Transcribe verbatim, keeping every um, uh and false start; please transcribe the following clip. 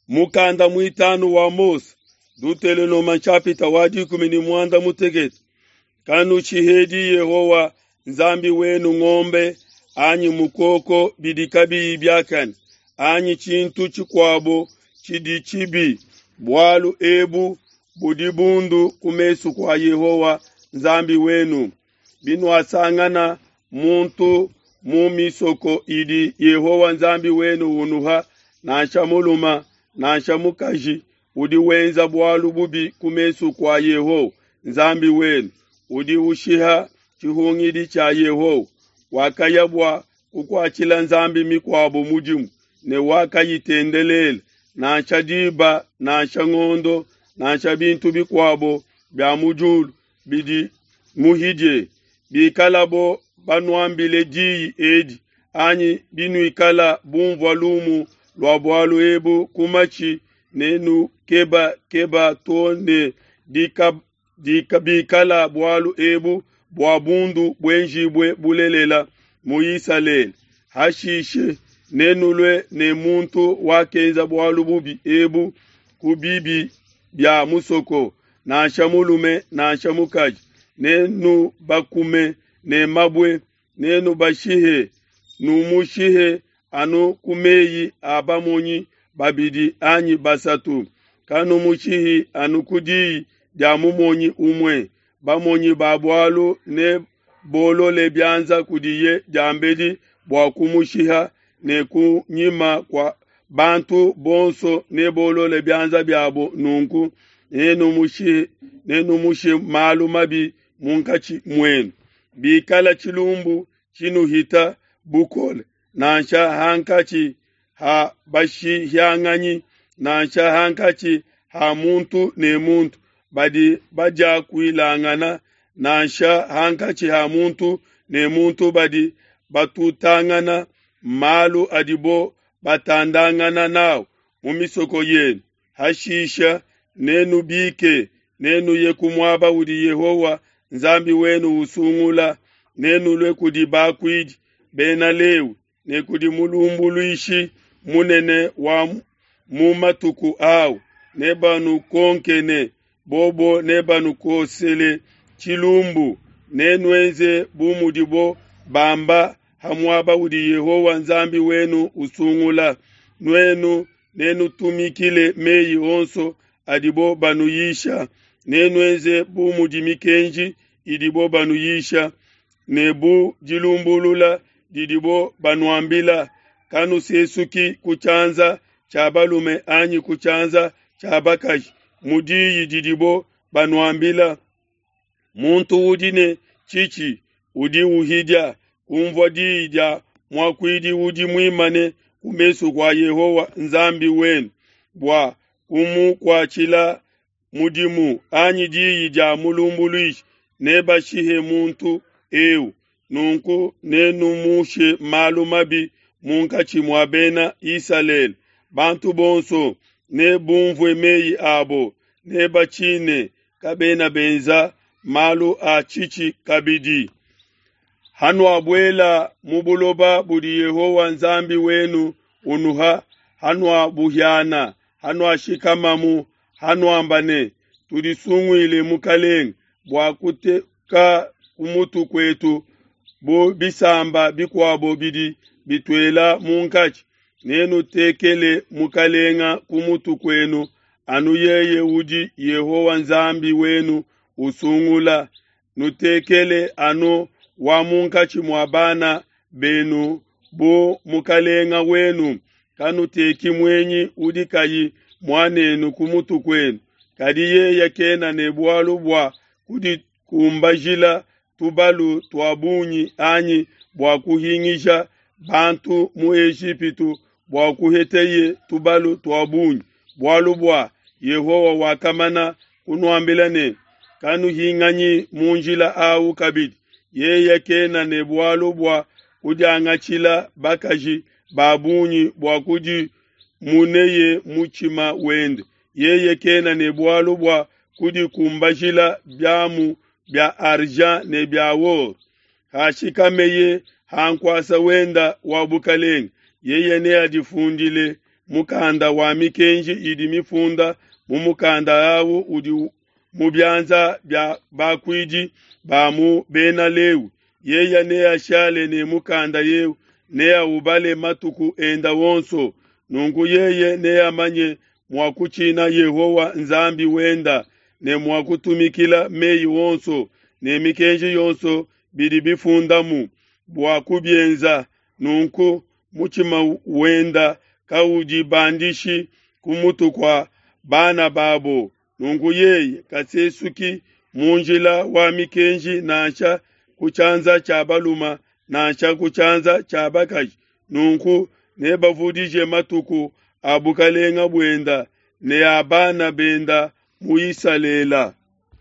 Mukanda muitanu wa Mose, Dutelonoma nshapita wa dikumi ne muanda mutekete. Kanushihedi Yehowa Nzambi wenu ngombe anyi mukoko bidi kabiyi biakane, anyi tshintu tshikuabo tshidi tshibi, bualu ebu budi bundu ku mesu kua Yehowa Nzambi wenu. Binuasangana muntu mu misoko idi Yehowa Nzambi wenu unuha, nansha mulume nansha mukaji, udi wenza bualu bubi ku mesu kua Yehowa Nzambi wenu, udi ushiha tshihungidi tshia Yehowa, wakaya bua kukuatshila nzambi mikuabo mudimu ne wakayitendelela, nansha diba nansha ngondo nansha bintu bikuabo bia mu diulu bidi muhidie, bikalabo banuambile diyi edi, anyi binuikala bumvua lumu lua bualu ebu ku matshi, nenukebakeba too ne bikala bualu ebu bua bundu buenjibue bulelela mu Isalele. Hashishe nenulue ne muntu wakenza bualu bubi ebu ku bibi bia musoko, nansha mulume nansha mukaji, nenubakume ne mabue, nenubashihe, numushihe anu ku meyi a bamonyi babidi anyi basatu. Kanumushihi anu ku diyi dia mumonyi umue. Bamonyi ba bualu ne bolole bianza kudiye diambedi bua kumushiha, ne ku nyima kua bantu bonso ne bolole bianza biabo. Nunku nenumushe nenumushe malu mabi munkatshi muenu. Bikala tshilumbu tshinuhita bukole, nansha hankatshi ha bashihianganyi, nansha hankatshi ha muntu ne muntu badi badiakuilangana, nansha hankatshi ha muntu ne muntu badi batutangana malu adibo batandangana n'au mu misoko yenu, hashisha nenubike, nenuye ku muaba udi Yehowa Nzambi wenu usungula, nenulue kudi bakuidi Bena Lewi ne kudi mulumbuluishi munene wa mu matuku au, nebanukonke ne bobo nebanukosele tshilumbu. Nenuenze bu mudibo bamba ha muaba udi Yehowa Nzambi wenu usungula. Nuenu nenutumikile meyi onso adibo banuyisha, nenuenze bu mudi mikenji idibo banuyisha ne bu dilumbulula didibo banuambila. Kanusesuki ku tshianza tshia balume anyi ku tshianza tshia bakaji mu diyi didibo banuambila. Muntu udi ne tshitshi udi uhidia kunvua diyi dia muakuidi udi muimane ku mesu kua Yehowa Nzambi wenu bua kumukuatshila mudimu, anyi diyi dia mulumbuluishi, nebashihe muntu eu. Nunku nenumushe malu mabi munkatshi mua Bena Isalele. Bantu bonso nebumvue meyi abo, nebatshine, kabena benza malu a tshitshi kabidi. Hanuabuela mu buloba budi Yehowa Nzambi wenu unuha, hanuabuhiana, hanuashikamamu, hanuamba ne, Tudisunguile mukelenge bua kuteka ku mutu kuetu bu bisamba bikuabo bidi bituela munkatshi, nenutekele mukelenge ku mutu kuenu anu yeye udi Yehowa Nzambi wenu usungula. Nutekele anu wa munkatshi mua bana benu bu mukelenge wenu. Kanuteki muenyi udi kayi muanenu ku mutu kuenu, kadi yeye kena ne bualu bua kudikumbajila tubalu tua bungi anyi bua kuhingisha bantu mu Ejipitu bua kuheteye tubalu tua bungi, bualu bua Yehowa wakamana kunuambila ne, Kanuhinganyi mu njila au kabidi. Yeye kena ne bualu bua kudiangatshila bakaji ba bungi bua kudimuneye mutshima wende. Yeye kena ne bualu bua kudikumbajila biamu bia argent ne bia or. Hashikameye ha nkuasa wenda wa bukelenge, yeye neadifundile Mukanda wa mikenji idi mifunda mu mukanda awu udi mu bianza bia bakuidi ba mu Bena Lewi. Yeye neashale ne mukanda eu, neaubale matuku enda wonso. Nunku yeye neamanye mua kutshina Yehowa Nzambi wenda ne mua kutumikila meyi onso ne mikenji yonso bidi bifundamu bua kubienza. Nunku mutshima wenda kaudibandishi ku mutu kua bana babo. Nunku yeye kasesuki mu njila wa mikenji nansha ku tshianza tshia balume nansha ku tshianza tshia bakaji. Nunku nebavudije matuku a bukalenga buenda ne a bana benda mu Isalele.